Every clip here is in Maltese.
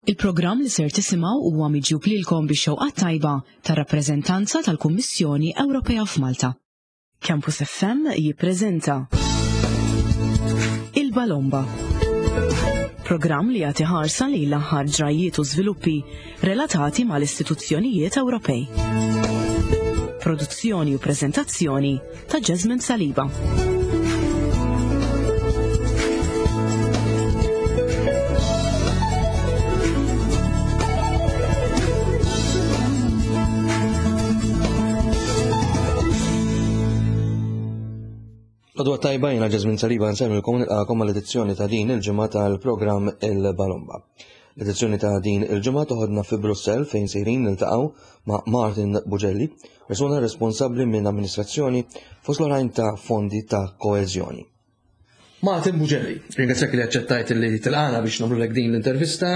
Il-programm li ser tisimgħu huwa miġjub lilkom bix-xewqa t-tajba tar-rappreżentanza tal-Kummissjoni Ewropea f'Malta. Campus FM jippreżenta Il-Balomba. Programm li jagħti ħarsa lejn l-aħħar ġrajjiet u żviluppi relatati mal-istituzzjonijiet Ewropej. Produzzjoni u preżentazzjoni ta' Jasmine Saliba. Għadwa tajba jena Ġazmin Saliba nsemmilkom nilqakom għall-edizzjoni ta' din il-ġimgħa tal-programm Il-Balomba. L-edizzjoni ta' din il-ġimgħa toħodna fi Brussell fejn sejrin niltaqgħu ma' Martin Bugelli, persuna responsabbli minn amministrazzjoni fost l-oħrajn ta' fondi ta' koeżjoni. Martin Bugelli, ringrazzjak li aċċettajt li tilqana biex nagħmlulek din l-intervista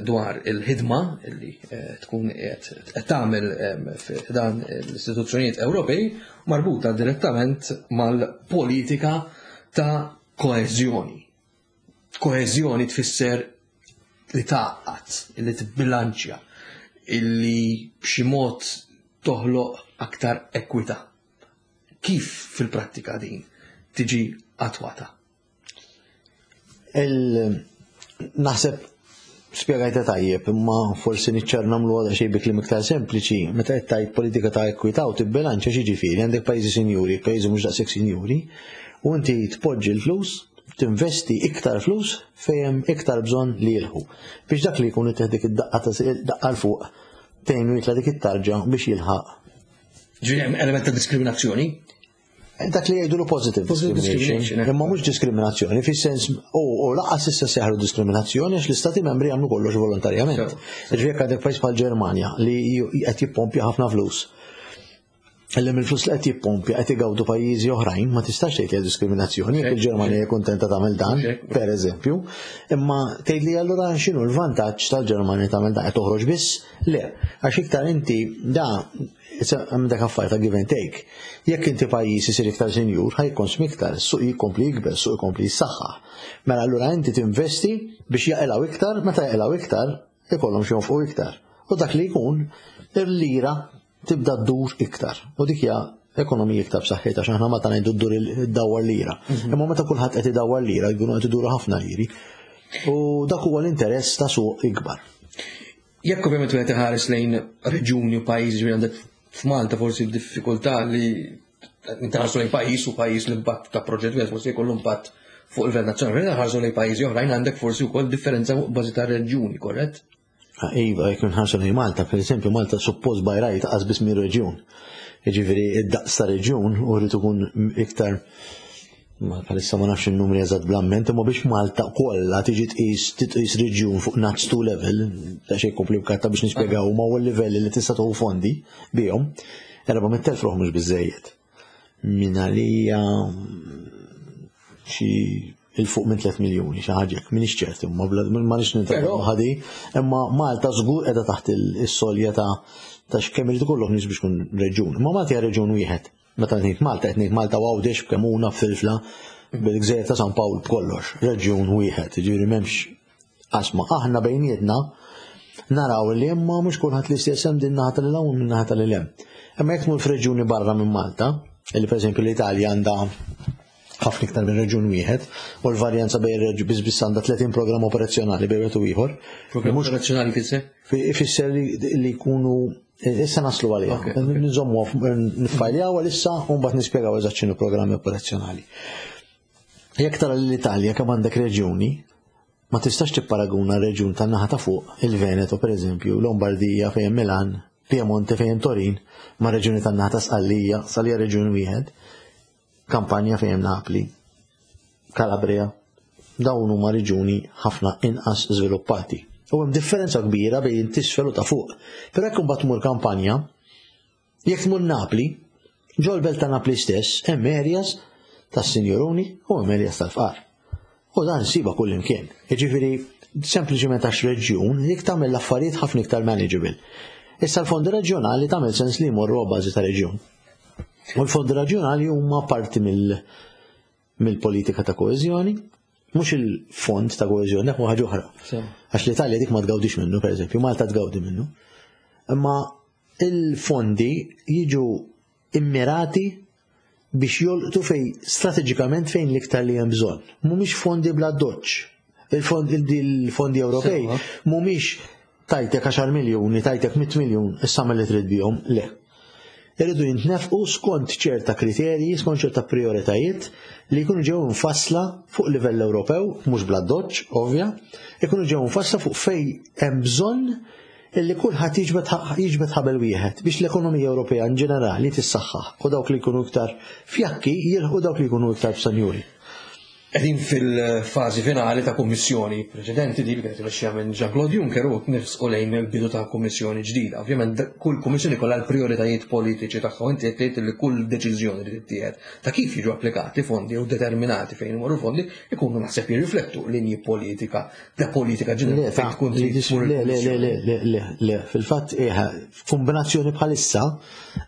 dwar il-ħidma li eh, tkun qed tagħmel f'dan l-istituzzjonijiet Ewropej marbuta direttament mal-politika ta' koeżjoni. Koeżjoni tfisser li tgħaqqad, li tibbilanċja, illi b'xi mod toħloq aktar ekwità. Kif fil-prattika din tiġi attwata? Naħseb spjegajta tajjeb, imma forsi niċċar nagħmlu għadha xejn bi kliem iktar sempliċi, meta qed tgħid politika ta' ekwità u tibbilanċja xi għandek pajjiżi sinjuri, pajjiżi mhux daqshekk sinjuri, u inti tpoġġi l-flus, tinvesti iktar flus fejn hemm iktar bżonn li jilħu. Biex dak li jkun ittieħ dik id-daqqa ta' daqqa 'l fuq tgħinu jitla' dik it-tarġa biex jilħaq. Ġifieri hemm element ta' diskriminazzjoni? Dak li jgħidulu positive discrimination. Eh. Imma mhux diskriminazzjoni, fis-sens u lanqas issa seħru diskriminazzjoni għax l-istati membri jagħmlu kollox volontarjament. Ġifieri jekk għandek pajjiż bħal Ġermanja li qed jippompja ħafna flus. Illi mill-flus li qed jippompja qed igawdu pajjiżi oħrajn, ma tistax tgħid li diskriminazzjoni jekk il-Ġermanja hija kuntenta tagħmel dan, per eżempju. Imma tgħid li allura x'inhu l-vantaġġ tal-Ġermanja tagħmel dan qed toħroġ biss? Le, għax iktar inti da hemm dak affar ta' give and take. Jekk inti pajjiż isir iktar sinjur, ħa jikkonsmi iktar, is-suq jikompli jikber, is-suq ikompli jissaħħaħ. Mela allura inti tinvesti biex jaqilgħu iktar, meta jaqilgħu iktar, ikollhom xi jonfqu iktar. U dak li jkun, il-lira tibda ddur iktar. U dik hija ekonomija iktar b'saħħitha għax aħna meta ngħidu ddur iddawwar lira. Mhm. Imma meta kulħadd qed idawwar lira, jkunu qed iduru ħafna liri. U dak huwa l-interess ta' suq ikbar. Jekk ovvjament wieħed iħares lejn reġjuni u pajjiżi ġifieri għandek f'Malta forsi diffikultà li intaħarsu lejn pajjiż u pajjiż l-impatt ta' proġett wieħed forsi jkollu impatt fuq il-livell nazzjonali. Ħarsu lejn pajjiżi oħrajn għandek forsi wkoll differenza fuq bażi ta' reġjuni, korrett? Ah, iva, jekk nħarsu lejn Malta, per eżempju, Malta suppost by right qas biss minn reġjun. Jiġifieri id-daqs ta' reġjun u rrid ikun iktar Ma bħalissa ma nafx in-numri eżatt bl-amment, imma biex Malta kollha tiġi tqis titqis reġjun fuq NUTS 2 level, ta' xejn komplikatta biex nispjegaw ma huwa l-livelli li tista' tieħu fondi bihom, 400,000 ruħ mhux biżejjed. Min għalija xi il-fuq minn 3 miljuni xi ħaġa hekk, m'iniex ċert imma ma nix nintraw ħadi, imma Malta żgur qiegħda taħt is-solja ta' ta' x'kemm irid ikollok nies biex tkun reġjun. Imma Malta hija reġjun wieħed. Meta ngħid Malta qed ngħid Malta u Għawdex b'Kemuna b'Filfla bil-Gżejjer ta' San Pawl b'kollox, reġjun wieħed, jiġifieri m'hemmx qasma. Aħna bejnietna naraw li imma mhux kulħadd l-istess hemm din naħa tal hawn min naħa tal hemm. Imma jekk tmur f'reġjuni barra minn Malta, li pereżempju l-Italja għandha ħafna iktar minn reġjun wieħed u l-varjanza bejn reġjun biss biss għandha 30 programm operazzjonali bejn wieħed u ieħor. Programm operazzjonali fisser? Ifisser li jkunu Issa naslu għalija. Nżommu nifajljaw għalissa u mbagħad nispjegaw eżatt x'inhu programmi operazzjonali. Jekk tara l-Italja kemm għandek reġjuni, ma tistax tipparaguna reġjun tan-naħa ta' fuq, il-Veneto pereżempju, Lombardija fejn Milan, Piemonte fejn Torin, ma' reġjuni tan-naħa ta' Sqallija, Sqallija reġjun wieħed, Kampanja fejn Napli, Calabria, dawn huma reġjuni ħafna inqas żviluppati. U hemm differenza kbira bejn tisfel u ta' fuq. Però jekk imbagħad tmur Kampanja, jekk tmur Napli, ġol-belt ta' Napli stess hemm areas tas-sinjuruni u hemm areas tal-fqar. U dan siba kull imkien. Jiġifieri sempliċement għax reġjun jekk tagħmel l-affarijiet ħafna iktar manageable. Issa l-fondi reġjonali tagħmel sens li jmorru bażi ta' reġjun. U l-fondi reġjonali huma parti mill mill-politika ta' koeżjoni. Mhux il-fond ta' koeżjoni, dak ħaġa oħra. Għax l-Italja dik ma tgawdix minnu, pereżempju, Malta tgawdi minnu. Imma il-fondi jiġu immirati biex jolqtu fej strateġikament fejn l-iktar li hemm bżonn. Mhumiex fondi bla doċċ. Il-fondi Ewropej mhumiex tajtek 10 miljuni, tajtek 100 miljun, issa li trid bihom, le. Irridu jintnefqu skont ċerta kriterji, skont ċerta prioritajiet li jkunu ġew mfassla fuq livell Ewropew, mhux bla doċċ, ovvja, ikunu ġew mfassla fuq fej hemm bżonn illi kulħadd jiġbed ħabel wieħed biex l-ekonomija Ewropea in ġenerali tissaħħaħ u dawk li jkunu iktar fjakki jilħqu dawk li jkunu iktar bżonjuri. Qegħdin fil-fażi finali ta' kummissjoni preċedenti di li kienet imexxija minn Jean-Claude Juncker u nifsqu lejn il-bidu ta' kummissjoni ġdida. Ovvjament kull kummissjoni kollha l-prijoritajiet politiċi tagħha u inti qed tgħid li kull deċiżjoni li tittieħed ta' kif jiġu applikati fondi u determinati fejn imorru fondi ikunu naħseb jirriflettu linji politika ta' politika ġenerali fejn tkun Le, le, le, le, le, le, le, fil-fatt f'kombinazzjoni bħalissa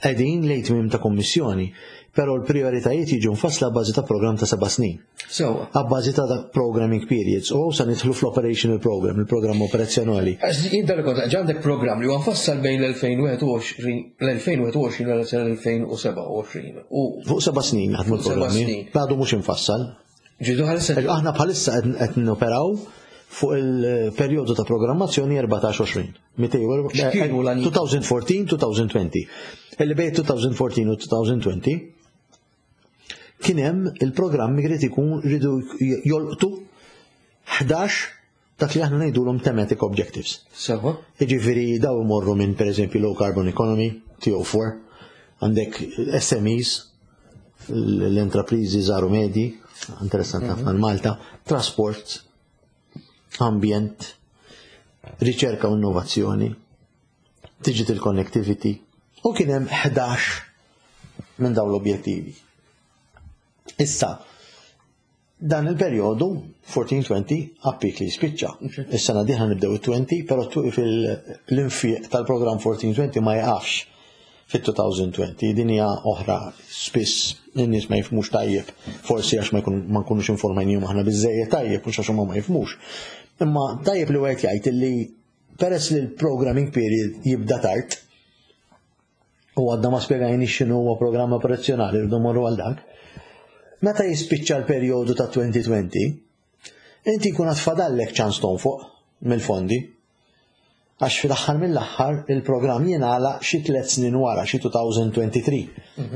qegħdin lejn tmiem ta' kummissjoni. Però l-prijoritajiet jiġu mfassla bażi ta' programm ta' seba' snin. Sewwa. Abbażi ta' programming periods u sa nidħlu fl-operational program, il-programm operazzjonali. Għax jien dan kont għandek programm li huwa mfassal bejn l-2021 l-2021 u l-2027. U Fuq seba' snin jaħdmu l-programmi. Għadu mhux imfassal. Ġidu ħalissa. Aħna bħalissa qed noperaw fuq il-perjodu ta' programmazzjoni 14-20. 2014-2020. Illi bejn 2014 u 2020 kien hemm il-programmi jrid ikun ridu jolqtu 11 dak li aħna ngħidulhom thematic objectives. Sewa. Jiġifieri daw imorru minn pereżempju low carbon economy, TO4, għandek SMEs, l-intrapriżi żgħar u medji, interessanti ħafna Malta, trasport, ambjent, riċerka u innovazzjoni, digital connectivity, u kien hemm 11 minn dawn l-objettivi. Issa, dan il-perjodu 14-20 appik li jispiċċa. Is-sena diħa nibdew it-20, però fil-infiq tal-programm 14-20 ma jaqafx fit-2020. Din hija oħra spiss in-nies ma jifhmux tajjeb, forsi għax ma nkunux informajnihom aħna biżejjed tajjeb mhux għax huma ma jifhmux. Imma tajjeb li wieħed jgħid illi peress li l-programming period jibda tard, u għadna ma spjegajni x'inhu huwa programm operazzjonali rridu morru għal dak. Meta jispiċċa l-perjodu ta' 2020, inti jkun għad fadallek ċans tonfoq mill-fondi. Għax fil-aħħar mill-aħħar il-programm jingħalaq xi tliet snin wara, xi 2023.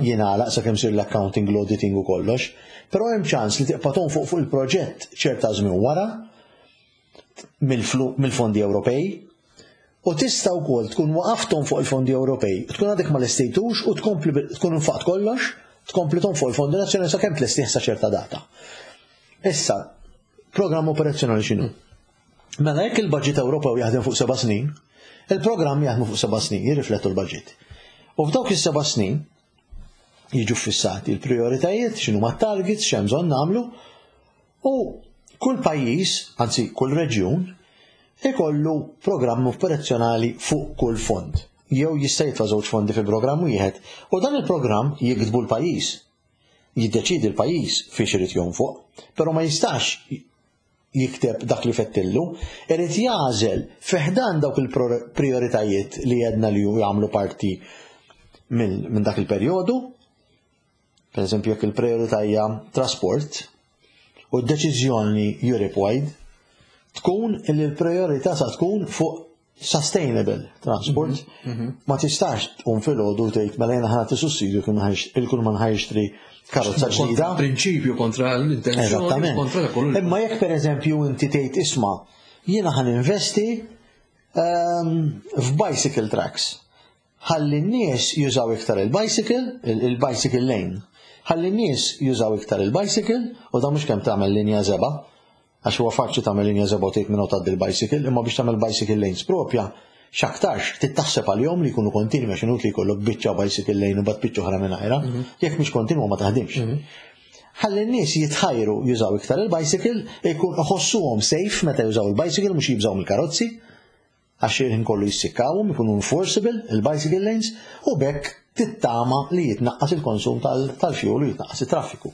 Jingħalaq sakemm sir l-accounting, l-auditing u kollox. Però hemm ċans li tibqa' tonfoq fuq il-proġett ċerta żmien wara mill-fondi Ewropej u tista' wkoll tkun waqaftom fuq il-fondi Ewropej, tkun għadek ma lestejtux u tkompli tkun infaqt kollox, tkompli fuq il-fondi nazzjonali sakemm tlestih sa ċerta data. Issa, programm operazzjonali x'inhu? Mela jekk il-budget Ewropew jaħdem fuq seba' snin, il-programm jaħdmu fuq seba' snin, jirriflettu l-budget. U f'dawk is-seba' snin jiġu fissati l-prioritajiet, x'inhu ma targets, x'hemm bżonn nagħmlu, u kull pajjiż, anzi kull reġjun, ikollu programm operazzjonali fuq kull fond. Jew jista' jitfa' żewġ fondi fi programm wieħed, u dan il-programm jiktbu l-pajjiż. Jiddeċidi l-pajjiż fiex irid jonfoq, però ma jistax jikteb dak li fettillu, irid jagħżel fi ħdan dawk il-prioritajiet li jedna li jagħmlu parti minn dak il-perjodu. Per eżempju, jekk il-priorità hija trasport u d-deċiżjoni Europe-wide tkun li l-priorità sa tkun fuq sustainable transport. Ma tistax tqum filgħodu tgħid mela jiena ħa nagħti sussidju il kull man ħa jixtri karozza ġdida. Prinċipju kontra l-intenzjoni. Eżattament. Imma jekk pereżempju inti tgħid isma' jiena ħa ninvesti f'bicycle tracks. Ħalli n-nies jużaw iktar il-bicycle, il-bicycle lane. Ħalli n-nies jużaw iktar il-bicycle u da mhux kemm tagħmel linja żebgħa, għax huwa faċli tagħmel linja żebgħa u tgħid minn tgħaddi l-bicycle, imma biex tagħmel bicycle lanes propja, x'aktarx trid taħseb għalihom li jkunu kontinwi għax inutli jkollok biċċa bicycle lane u bat biċċa oħra mingħajra, jekk mhix kontinwa ma taħdimx. Ħalli n-nies jitħajru jużaw iktar il-bicycle, ikun iħossuhom safe meta jużaw il-bicycle mhux jibżaw mill-karozzi, għax il-ħin kollu jissikkawhom, ikunu enforceable il-bicycle lanes u bekk tittama li jitnaqqas il-konsum tal-fuel u jitnaqqas il-traffiku.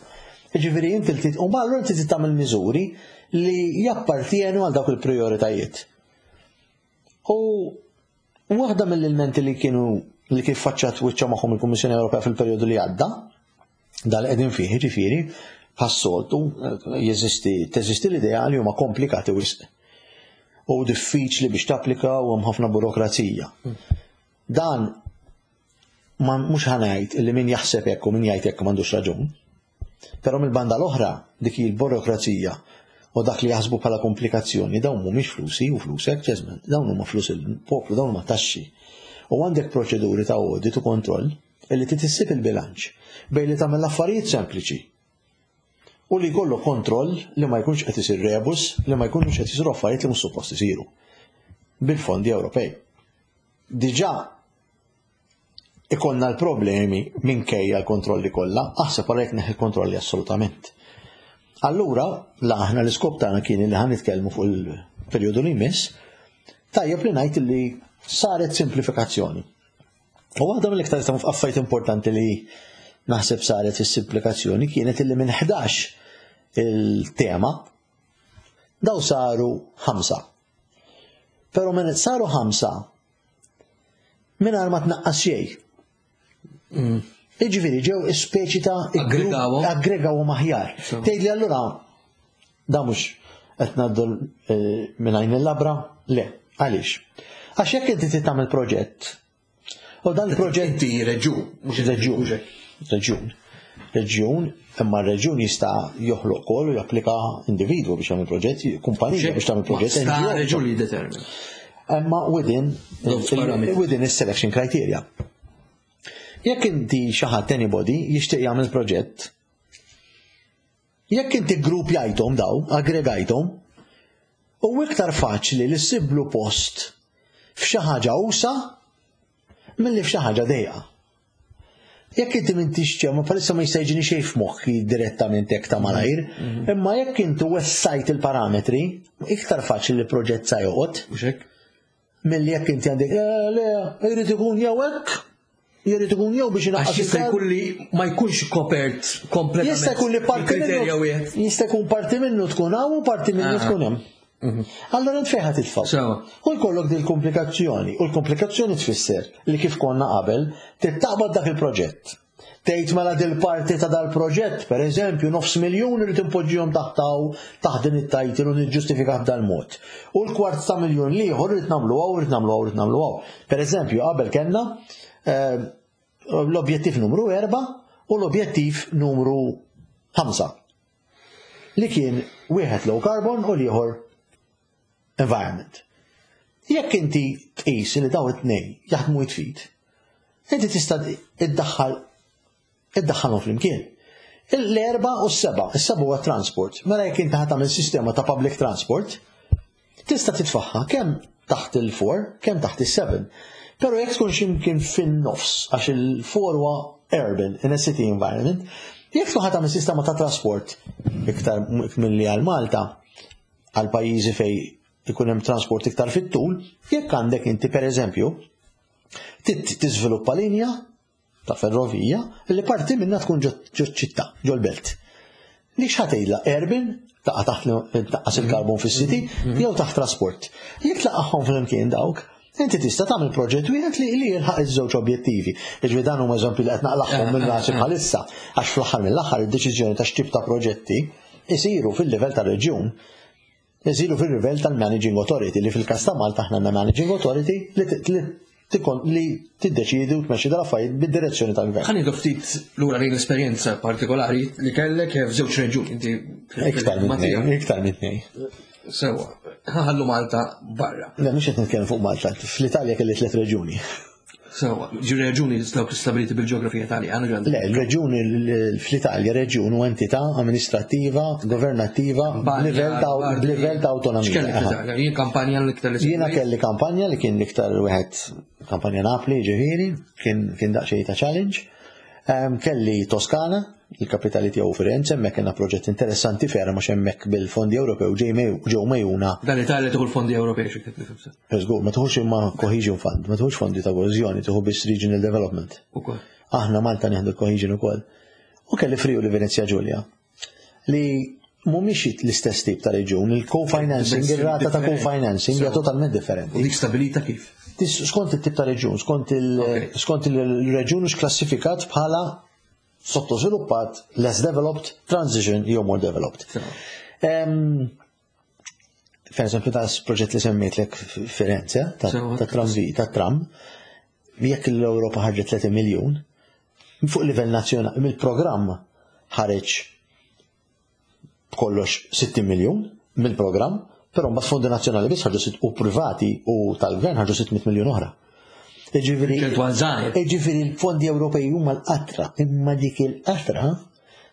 Jiġifieri inti li u allura inti trid tagħmel miżuri li jappartienu għal dawk il-prijoritajiet. U waħda mill-ilmenti li kienu li kif faċċat wiċċa magħhom il-Kummissjoni Ewropea fil-perjodu li għadda, dal qegħdin fih, ġifieri, bħas-soltu jeżisti teżisti l-idea li huma komplikati wisq. U diffiċli biex tapplika u hemm ħafna burokrazija. Dan ma mhux ħanajt li min jaħseb hekk u min jgħid hekk m'għandux raġun. Però mill-banda l-oħra dik hi l-burokrazija u dak li jaħsbu bħala komplikazzjoni dawn mhumiex flusi u flusek ġeżment, dawn huma flus il-poplu, dawn huma taxxi. U għandek proċeduri ta' audit u kontroll illi trid issib il-bilanċ bejn li tagħmel affarijiet sempliċi u li jkollu kontroll li ma jkunx qed isir rebus, li ma jkunux qed isiru affarijiet li mhux suppost isiru bil-fondi Ewropej. Diġà ikollna l-problemi minkejja l-kontrolli kollha, aħseb għal jekk neħi kontrolli assolutament. Allura, la aħna l-iskop tagħna kien li ħan nitkellmu fuq il-perjodu li jmiss, tajjeb li ngħid li saret simplifikazzjoni. U waħda mill-iktar affarijiet importanti li naħseb saret fis-simplifikazzjoni kienet li minn 11 il-tema daw saru ħamsa. Però minn saru ħamsa mingħajr ma tnaqqas xejn. Iġifieri ġew speċi ta' aggregawhom aħjar. Tgħidli allura da mhux qed ngħaddu eh, minn għajn il-labra? Le, għaliex? Għax jekk inti trid tagħmel proġett U dan il-proġett Inti reġjun, mhux reġjun, reġjun. Reġjun, imma r-reġjun jista' joħloq kol u japplika individwu biex jagħmel proġett, kumpanija biex tagħmel proġett. Sta reġjun li jiddetermina. Imma within within is-selection criteria. Jekk inti xi ħadd anybody jixtieq jagħmel proġett, jekk inti grupp jgħidhom daw, aggregajthom, u iktar faċli li ssiblu post f'xi ħaġa usa milli f'xi ħaġa dejqa. Jekk inti m'intix ċew, ma bħalissa ma jista' jiġini xejn f'moħħi direttament hekk ta' malajr, mhm. imma jekk inti wessajt il-parametri, iktar faċli li proġett sa joqgħod. Milli jekk inti għandek, eh, le, jrid ikun jew hekk, jrid ikun jew biex inaqqas. Jista' jkun li ma jkunx kopert kompletament. Jista' jkun li parti minnu. Jista' jkun parti minnu tkun hawn u parti minnu ah. tkun hemm. Mhm. Allora int fejn titfa'. U jkollok din komplikazzjoni u l-komplikazzjoni tfisser li kif konna qabel tittaqbad dak il-proġett. Tgħid mela dil-parti ta' dal-proġett, per eżempju, nofs miljun irid impoġġihom taħt hawn taħt din it-title u niġġustifikah b'dal-mod. U l-kwart ta' miljun l-ieħor irid nagħmlu hawn, irid nagħmlu hawn, irid nagħmlu hawn. Per eżempju, qabel kellna eh, l-objettiv numru 4 u l-objettiv numru 5 li kien wieħed low carbon u l-ieħor environment. Jekk inti tqis li daw it-tnejn jaħdmu jitfit, inti tista' iddaħħal iddaħħalhom flimkien. L-erba u s-seba, is-seba huwa transport. Mela jekk inti tagħmel sistema ta' public transport, tista' titfaħħa kemm taħt il-4, kemm taħt il-7. Pero jekk tkun ximkien fin-nofs, għax il-4 huwa urban, in a city environment, jekk tkun tagħmel sistema ta' trasport iktar milli għal Malta, għal pajjiżi fejn ikun hemm transport iktar fit-tul, jekk għandek inti pereżempju tiżviluppa linja ta' ferrovija li parti minna tkun ġo ċittà, ġo l-belt. Li x'ħatejla urban taqa' taħt tnaqqas il-karbon fis-city mhm. jew taħt trasport. Jekk tlaqgħhom flimkien dawk, inti tista' tagħmel proġett wieħed li li jilħaq iż-żewġ objettivi. Jiġifieri dan huma eżempji li qed naqlaħħom minn rasi bħalissa għax fl-aħħar mill-aħħar id-deċiżjoni ta' x'tip ta' proġetti isiru fil-livell tar-reġjun isiru fil-livell tal-Managing Authority li fil-każ ta' Malta aħna għandna Managing Authority li li tiddeċiedi u tmexxi dal-affarijiet bid-direzzjoni tal-gvern. Ħa nieħdu ftit lura lejn l-esperjenza partikolari li kellek f'żewġ reġjuni inti. Iktar minn tnejn, iktar minn tnejn. Sewa, ħallu Malta barra. Le, mhux qed nitkellem fuq Malta, fl-Italja kelli tliet reġjuni. Sewa, ġi reġuni dawk stabiliti bil-ġeografija Taljana ġan. Le, reġuni fl-Italja reġjun u entità amministrattiva, governattiva, b'livell ta' b'livell ta' autonomija. X'kellek fl-Italja? Jien kampanja l-iktar li Jiena kelli kampanja li kien l-iktar wieħed kampanja Napli, ġifieri, kien kien daqsxejn ta' challenge. Kelli Toskana, il-kapitali tiegħu Firenze, hemmhekk kellna proġett interessanti ferm għax hemmhekk bil-fondi Ewropew ġew mejuna. Dan l-Italja tieħu l-fondi Ewropej xi kif nifhem. Żgur, ma tieħux imma cohesion fund, ma tieħux fondi ta' koeżjoni, tieħu biss regional development. Ukoll. Aħna Malta nieħdu l-cohesion ukoll. U kelli Friuli Venezia Giulia. Li mhumiex l-istess tip ta' reġjun, il-co-financing, ir-rata ta' co-financing hija totalment differenti. U dik stabilita kif? Skont it-tip ta' reġjun, skont il-reġjun hux klassifikat bħala sottosviluppat, less developed, transition jew more developed. Per eżempju, ta' proġett li semmejtlek Firenze, ta' tramvi, ta' tram, jekk l-Ewropa ħarġet 30 miljun, fuq livell nazzjonali, mill-programm ħareġ b'kollox 60 miljun mill-programm, però mbagħad fondi nazzjonali biss ħarġu u privati u tal-gvern ħarġu 600 miljun oħra. Ġifieri l-fondi Ewropej huma l-qatra, imma dik il-qatra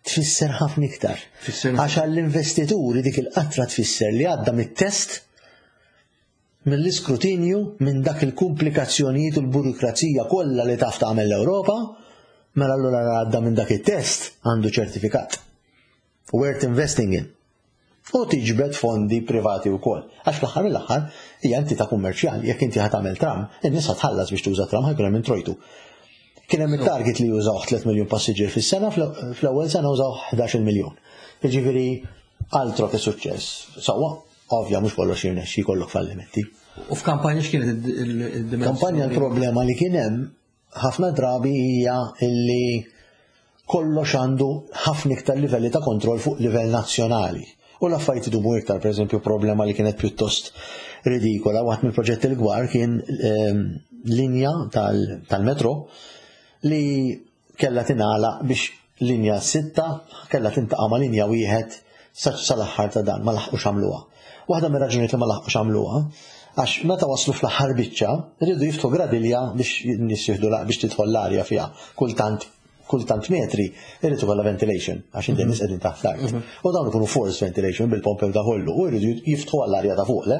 tfisser ħafna iktar. Għax għall-investituri dik il-qatra tfisser li għadda mit-test mill-iskrutinju minn dak il-kumplikazzjonijiet u l-burokrazija kollha li taf tagħmel l-Ewropa, mela allura għadda minn dak it-test għandu ċertifikat. Worth investing in. U tiġbed fondi privati wkoll. Għax fl-aħħar mill-aħħar hija entità kummerċjali, jekk inti ħa tagħmel tram, in-nies ħa tħallas biex tuża tram ħa jkun hemm introjtu. Kien hemm it-target li jużaw 3 miljun passiġġier fis-sena, fl-ewwel sena użaw 11 miljun. Jiġifieri altro che suċċess. Sewwa, ovvja mhux kollox jirnexxi jkollok fallimenti. U f'kampanja x'kienet id-dimensjoni? Kampanja l-problema li kien hemm ħafna drabi hija illi kollox għandu ħafna iktar livelli ta' kontroll fuq livell nazzjonali. U l-affarijiet idumu iktar, per eżempju, problema li kienet pjuttost ridikola, waħd mill-proġetti l-kbar kien ehm, linja tal-metro li kellha tingħalaq biex linja sitta kellha tintaqa' ma' linja wieħed sal-aħħar ta' dan, ma laħqux għamluha. Waħda mir-raġunijiet li ma laħqux għamluha, għax meta waslu fl-aħħar biċċa, riedu jiftħu gradilja biex n-nies jieħdu biex tidħol l-arja fiha kultant kultant metri irid ikollha ventilation għax inti nies qegħdin taħt l-art. Mhm. U dawn ikunu forced ventilation bil-pompe ta' kollu u jridu jiftħu għall-arja ta' fuq le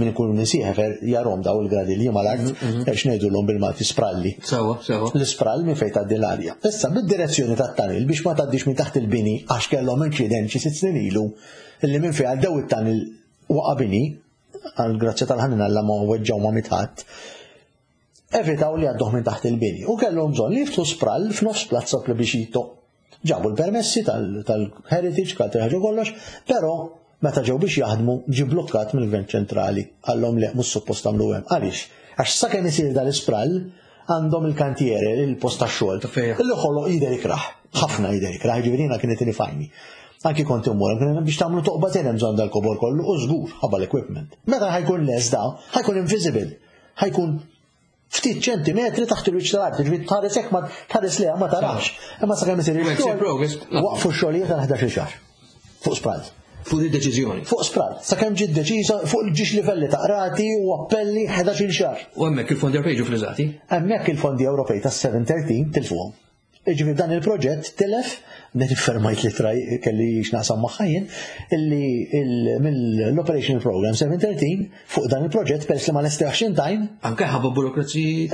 min ikun nisieħefer jarom daw il-gradilji mal-art mhm, mhm. għax ngħidulhom bil-Malti spralli. Sewa, sewa. L-isprall minn fejn tgħaddi l-arja. Issa bid-direzzjoni tat-tanil biex ma tgħaddix minn taħt il-bini għax kellhom inċident xi sitt snin ilu illi minn fejn għaddew it-tanil waqa' bini għal grazzja tal-ħanin Alla ma weġġaw ma mitħadd evitaw li għadduh minn taħt il-bini u kellhom bżonn li jiftħu sprall f'nofs Plazza Plebiscito. Ġabu l-permessi tal-heritage, tal ħaġa kollox, però meta ġew biex jaħdmu ġie blokkat mill-Gvern ċentrali. Qallhom le mhux suppost tagħmlu hemm. Għaliex? Għax sakemm isir dal-isprall għandhom il-kantiere, il-post tax-xogħol. Li ħoloq jidher ikrah. Ħafna jidher ikrah, ġifieri jiena kienet inifajni. Anki kont immur, biex tagħmlu toqba hemm bżonn dal-kobor kollu u żgur ħabba l-equipment. Meta ħa jkun lest da, ħa jkun invisible ħa jkun ftit ċentimetri taħt il-wiċċ tal-art, ġifieri tħares hekk ma tħares leha ma tarax. Imma sakemm isir ix-xogħol, waqfu x-xogħlijiet għal 11 xahar. Fuq sprall. Fuq id-deċiżjoni. Fuq sprall. Sakemm ġiet deċiża fuq il-ġiex livelli ta' qrati u appelli 11 xahar. U hemmhekk il-fondi Ewropej ġew friżati? Hemmhekk il-fondi Ewropej tas-713 tilfuhom. Jiġifieri dan il-proġett tilef, din iffermajt li traj kelli x'naqsam magħha jien, illi mill-Operational Program 713 fuq dan il-proġett peress li ma lestewx in time. Anke ħabba burokraziji.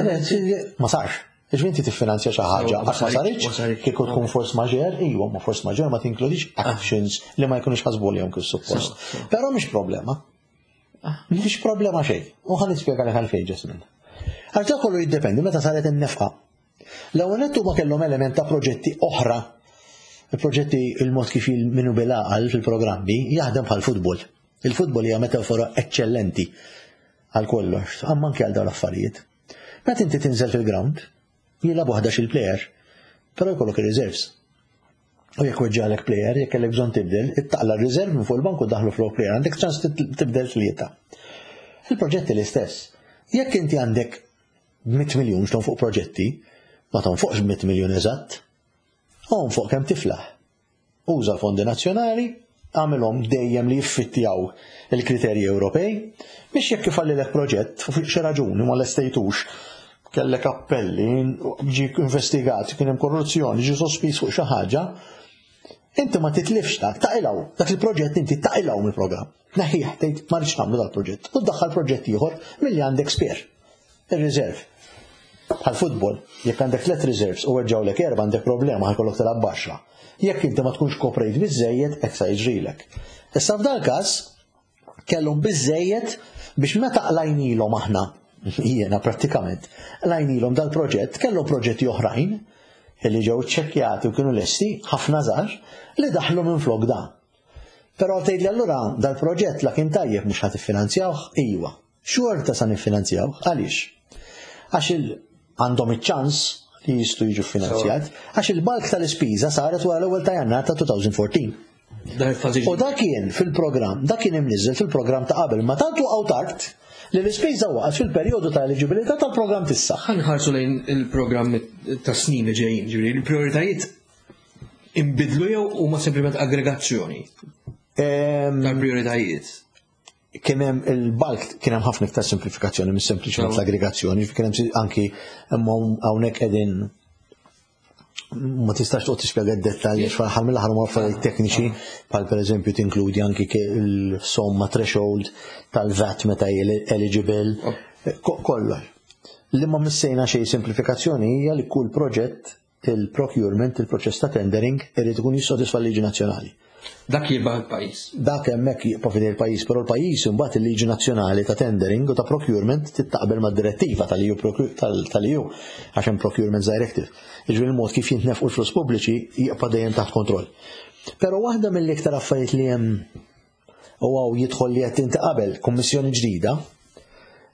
Ma sarx. Jiġifieri inti tiffinanzja xi ħaġa għax ma saritx, kieku tkun force majeure, iwa ma force majeure ma tinkludix ah. actions li ma jkunux ħasbu lihom kif suppost. Però mhix problema. Ah. Mhix problema xejn. U ħa nispjegalek għalfejn Ġesmin. Għax dak kollu jiddependi meta saret in-nefqa. L-ewwel nett huma kellhom element ta' proġetti oħra. Il-proġetti il-mod kif minu bil-għaqal fil-programmi jaħdem bħal futbol. Il-futbol hija metafora eċċellenti għal kollox, amma anke għal dawn l-affarijiet. Meta inti tinżel fil-ground, jilagħbu 11 il-player, però jkollok ir-reserves. U jekk weġġalek player, jekk kellek bżonn tibdel, ittaqla r-reserve minn fuq il-bank u daħlu flok player, għandek ċans tibdel tlieta. Il-proġetti l-istess. Jekk inti għandek 100 miljun x'tonfoq proġetti, ma tonfoqx 100 miljun eżatt. Onfoq kemm tiflaħ. Uża l-fondi nazzjonali, għamilhom dejjem li jiffittjaw il-kriterji Ewropej, biex jekk ifallilek proġett fuq xi raġuni ma lestejtux, kellek appelli, ġie investigat, kien hemm korruzzjoni, ġie sospiż fuq xi ħaġa, inti ma titlifx dak, taqilgħu, dak il-proġett inti taqilgħu mill-programm. Neħħih tgħid ma rridx nagħmlu dal-proġett u ddaħħal proġett ieħor milli għandek spare. Ir-reserve. Bħal futbol, jekk għandek tliet reserves u weġġgħulek erba' għandek problema ħa jkollok tilgħab b'għaxra. Jekk inti ma tkunx koprejt biżżejjed hekk sa jiġrilek. Issa f'dal każ kellhom biżżejjed biex meta qlajnilhom aħna, jiena prattikament, qlajnilhom dal-proġett, kellhom proġetti oħrajn li ġew iċċekkjati u kienu lesti, ħafna żgħar, li daħlu minflok da. Però tgħidli allura dal-proġett la kien tajjeb mhux ħa tiffinanzjawh? Iwa. Xorta sa niffinanzjawh. Għaliex? Għax għandhom iċ-ċans li jistgħu jiġu finanzjat, għax il-bulk tal-ispiża saret wara l-ewwel ta' Jannar ta' 2014. U dak kien fil-programm, dak kien imniżżel fil-programm ta' qabel, ma tant waqgħu tard li l-ispiża waqgħet fil-perjodu ta' eliġibilità tal-programm t'issa. Ħa nħarsu lejn il-programm ta' snin li ġejjin, ġifieri il-prijoritajiet inbidlu jew huma sempliment aggregazzjoni tal-prijoritajiet? Kien hemm il-bulk, kien hemm ħafna iktar simplifikazzjoni minn sempliċement l-aggregazzjoni, kien hemm anki imma hawnhekk qegħdin ma tistax toqgħod tispjega d-dettalji għax fl-aħħar mill-aħħar huma affarijiet tekniċi bħal pereżempju tinkludi anki il-somma threshold tal-VAT meta hi eligible, kollox. Li ma missejna xejn simplifikazzjoni hija li kull proġett il-procurement, il-proċess ta' tendering irid ikun jissodisfa l-liġi nazzjonali. Dak jibqa' il-pajjiż. Dak hemmhekk jibqa' f'idej il-pajjiż, però l-pajjiż imbagħad il-liġi nazzjonali ta' tendering u ta' procurement tittaqbel mad-direttiva tal-EU tal-EU għax hemm Procurement Directive. Jiġifieri il-mod kif jintnefqu l-flus pubbliċi jibqa' dejjem taħt kontroll. Però waħda mill-iktar affarijiet li hemm u hawn jidħol li qed inti qabel kummissjoni ġdida,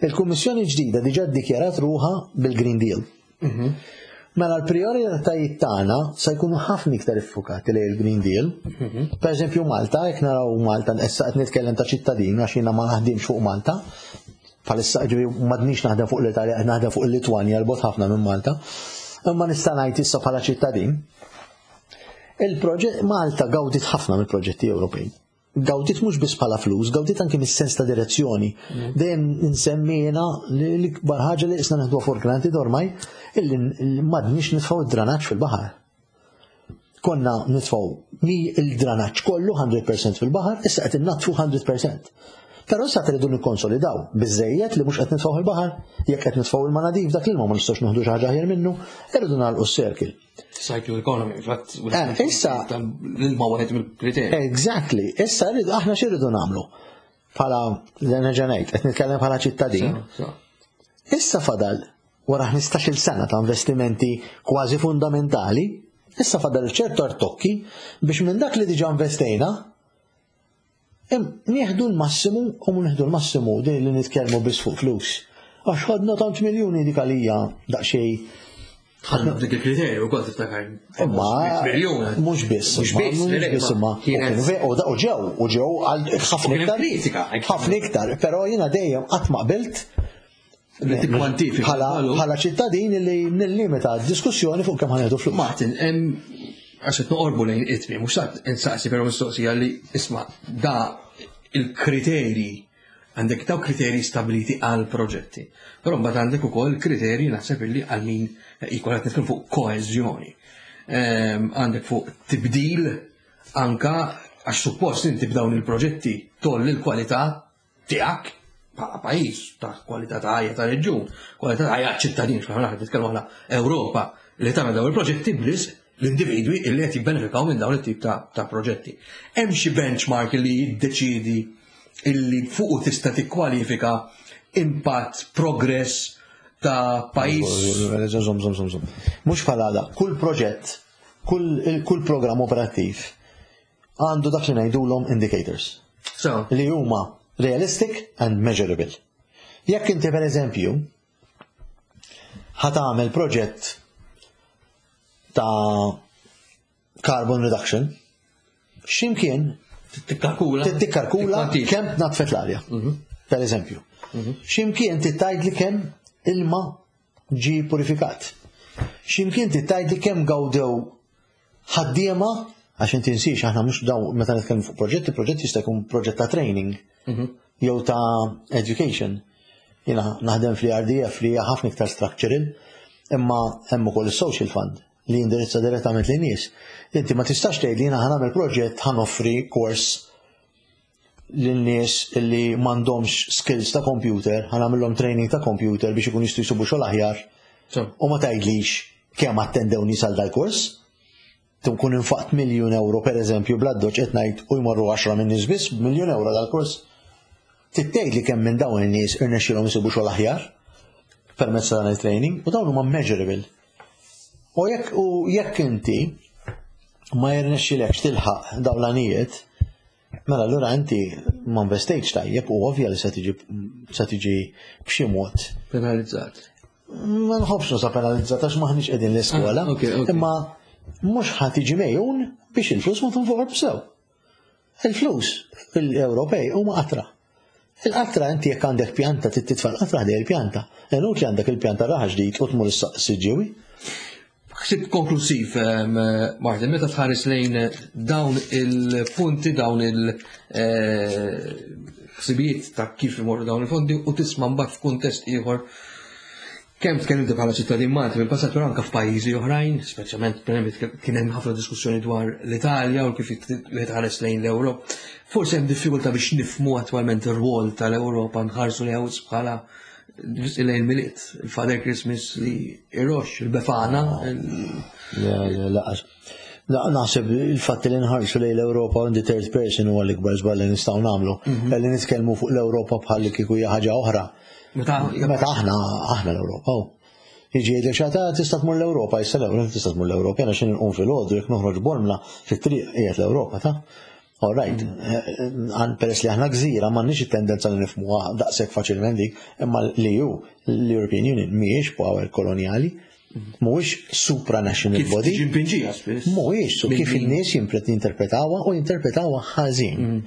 il-kummissjoni ġdida diġà ddikjarat ruħha bil-Green Deal. Mela l-prijoritajiet tagħna se jkunu ħafna iktar iffukati lejn il-Green Deal. Per eżempju Malta, jekk naraw Malta, issa qed nitkellem ta' ċittadin għax jiena ma naħdimx fuq Malta. Bħalissa ġifieri m'għadniex naħdem fuq l-Italja, qed naħdem fuq il-Litwanja 'l bogħod ħafna minn Malta. Imma nista' ngħid issa bħala ċittadin. Il-proġett Malta gawdit ħafna mill-proġetti Ewropej. Gawdit mhux biss bħala flus, gawdit anki mis-sens ta' direzzjoni. Dejjem nsemmi jiena li l-ikbar ħaġa li qisna neħduha for granted ormai illi m'għadniex nitfgħu id-dranaġġ fil-baħar. Konna nitfgħu mi il-dranaġġ kollu 100% fil-baħar, issa qed innaddfu 100%. Però issa tridu nikkonsolidaw biżejjed li mhux qed nitfgħu il-baħar, jekk qed nitfgħu il-manadif dak l-ilma ma nistgħux nieħdu xi ħaġa aħjar minnu, irridu nagħlqu s-circle. Cycle economy, fatt. Issa l-ilma wieħed mill-kriterji. Exactly. Issa rridu aħna x'irridu nagħmlu? Bħala nerġa' ngħid, qed nitkellem bħala ċittadin. Issa fadal wara 15-il sena ta' investimenti kważi fundamentali, issa fadal ċertu artokki biex minn dak li diġà investejna Nieħdu l-massimu u mhu nieħdu l-massimu din li nitkellmu biss fuq flus. Għax ħadna tant miljuni dik għalija daqsxejn. Ħadna f'dik il-kriterju wkoll tiftakar. Imma miljun. Mhux biss. Mhux biss, mhux biss imma. U ġew, u ġew għal ħafna iktar. Kritika. Ħafna iktar, però jiena dejjem qatt ma qbilt Li tikkwantifika. Bħala ċittadin li nillimita d-diskussjoni fuq kemm ħanieħdu flus. Martin, għax qed noqorbu lejn it-tmiem, mhux sa insaqsi però mistoqsija li isma' da il-kriterji għandek daw kriterji stabiliti għal proġetti. Però mbagħad għandek ukoll kriterji naħseb illi għal min jkun qed nitkellmu fuq koeżjoni. Għandek fuq tibdil anka għax suppost inti b'dawn il-proġetti tolli l-kwalità tiegħek bħala pajjiż ta' kwalità ta' ħajja ta' reġjun, kwalità ta' ħajja ċittadin, x'aħna qed nitkellmu aħna Ewropa li tagħmel dawn il-proġetti b'risq l-individwi illi qed jibbenefikaw minn dawn it-tip ta', ta proġetti. Hemm xi benchmark li jiddeċidi illi fuqu tista' tikkwalifika impatt, progress ta' pajjiż. Żomm, żomm, żomm, żomm. Mhux bħala da, kull proġett, kull, kull programm operattiv għandu dak li ngħidulhom indicators. So. Li huma realistic and measurable. Jekk inti per eżempju ħa tagħmel proġett ta' carbon reduction, x'imkien Tikkalkula. Tikkalkula kemm tnaddfet l-arja. Per eżempju. X'imkien tgħid li kemm ilma ġi purifikat. X'imkien tgħid li kemm gawdew ħaddiema, għax inti nsiex aħna mhux daw meta nitkellmu fuq proġetti, proġetti jista' jkun proġett ta' training jew ta' education. Jiena naħdem fl-RDF li hija ħafna iktar structural, imma hemm ukoll is-social fund li jindirizza direttament lin nies. Inti ma tistax tgħid li jiena ħa nagħmel proġett ħa noffri kors lin-nies li m'għandhomx skills ta' computer, ħa nagħmilhom training ta' computer biex ikun jistgħu jsibu xogħol aħjar. U ma tgħidlix kemm attendew nies għal dal-kors. Tkun infaqt miljun euro per eżempju bl-addoċ qed ngħid u jmorru 10 minn nies biss miljun euro dal-kors. Tgħid li kemm minn dawn in-nies irnexxielhom isibu xogħol aħjar permezz ta' dan il-training u dawn huma measurable. U jekk u jekk inti ma jirnexxilekx tilħaq dawn l-għanijiet, Mela allura inti ma investejtx tajjeb u ovvja li se tiġi se tiġi b'xi mod. Penalizzat. Ma nħobbx nuża penalizzat għax maħniex qegħdin l-iskola. Ah, imma mhux ħa tiġi mejjun biex il-flus ma tunfoqx b'sew. Il-flus l-Ewropej huma qatra. Il-qatra inti jekk għandek pjanta trid titfa' l-qatra ħdej il-pjanta. Inutli għandek il-pjanta raħa ġdid u tmur is-siġġiewi. Ħsieb konklusiv, ehm, Martin, meta tħares lejn dawn il-punti, dawn il-ħsibijiet eh, ta' kif imorru dawn il-fondi u tisma' mbagħad f'kuntest ieħor kemm tkellimti bħala ċittadin Malti mill-passat però anke f'pajjiżi oħrajn, speċjalment pereżempju kien hemm ħafna diskussjoni dwar l-Italja u kif wieħed ħares lejn l-Ewropa. Forsi hemm diffikultà biex nifhmu attwalment ir-rwol tal-Ewropa nħarsu li bħala lejn il-Milied, il-Father Christmas li irox, il-Befana. Le, le, laqas. Naħseb il-fatt li nħarsu lejn l-Ewropa on the third person huwa l-ikbar żball li nistgħu nagħmlu. Mhm. Li nitkellmu fuq l-Ewropa bħal kieku hija ħaġa oħra. Meta aħna aħna l-Ewropa. Jiġi jgħidlek xi ħadd tista' tmur l-Ewropa, issa l-Ewropa tista' tmur l-Ewropa, jiena xi nqum filgħodu jekk noħroġ Bormla fit-triq qiegħed l-Ewropa ta' All right, mm. eh, peress li aħna gżira m'għandniex it-tendenza li nifhmuha daqshekk faċilment dik, imma li hu l-European Union mhijiex power koloniali, mhuwiex supranational body. Mhuwiex su kif in-nies jinterpretawha u jinterpretawha ħażin. Mm.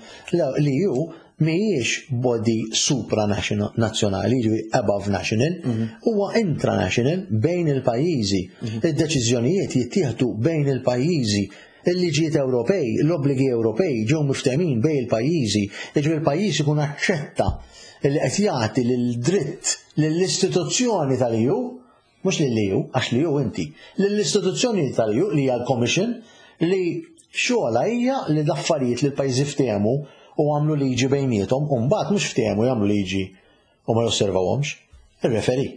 Li hu mhijiex body supranazzjonali, jiġifieri above national, mhm. huwa intranational bejn il-pajjiżi. Mhm. Id-deċiżjonijiet jittieħdu bejn il-pajjiżi. Il-liġijiet Ewropej, l-obbligi Ewropej ġew miftehmin bejn il-pajjiżi, jiġifieri il-pajjiż ikun aċċetta li qed jagħti lil dritt lill-istituzzjoni tal-EU mhux lill-EU, għax l-EU inti, lill-istituzzjoni tal-EU li hija l-Commission li xogħolha hija li l-affarijiet li l-pajjiżi ftehmu u għamlu liġi bejniethom u mbagħad mhux ftehmu jagħmlu liġi u ma josservawhomx, ir-referee.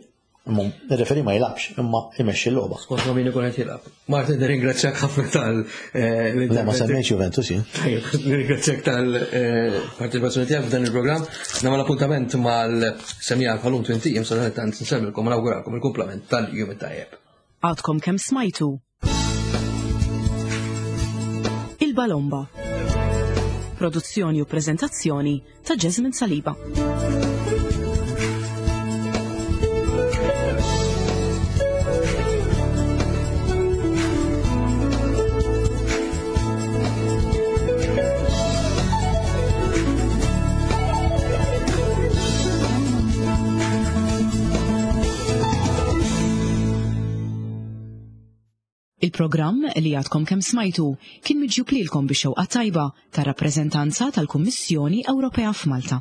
Imma ir-referee ma jilgħabx, imma jmexxi l-logħba. Skont ma min ikun qed jilgħab. Martin, nirringrazzjak ħafna tal eh, Le ma semmejtx Juventus jien. Tajjeb, nirringrazzjak tal-parteċipazzjoni tiegħek f'dan il-programm. Nagħmel appuntament mal-semija bħalum twinti jiem sa tant nsemmilkom u nawguralkom il-kumplament tal-jum it-tajjeb. Għadkom kemm smajtu Il-Balomba. Produzzjoni u prezentazzjoni ta' Jasmine Saliba. Il-programm li għadkom kemm smajtu kien miġjub lilkom bix-xewqa tajba tar-rappreżentanza tal-Kummissjoni Ewropea f'Malta.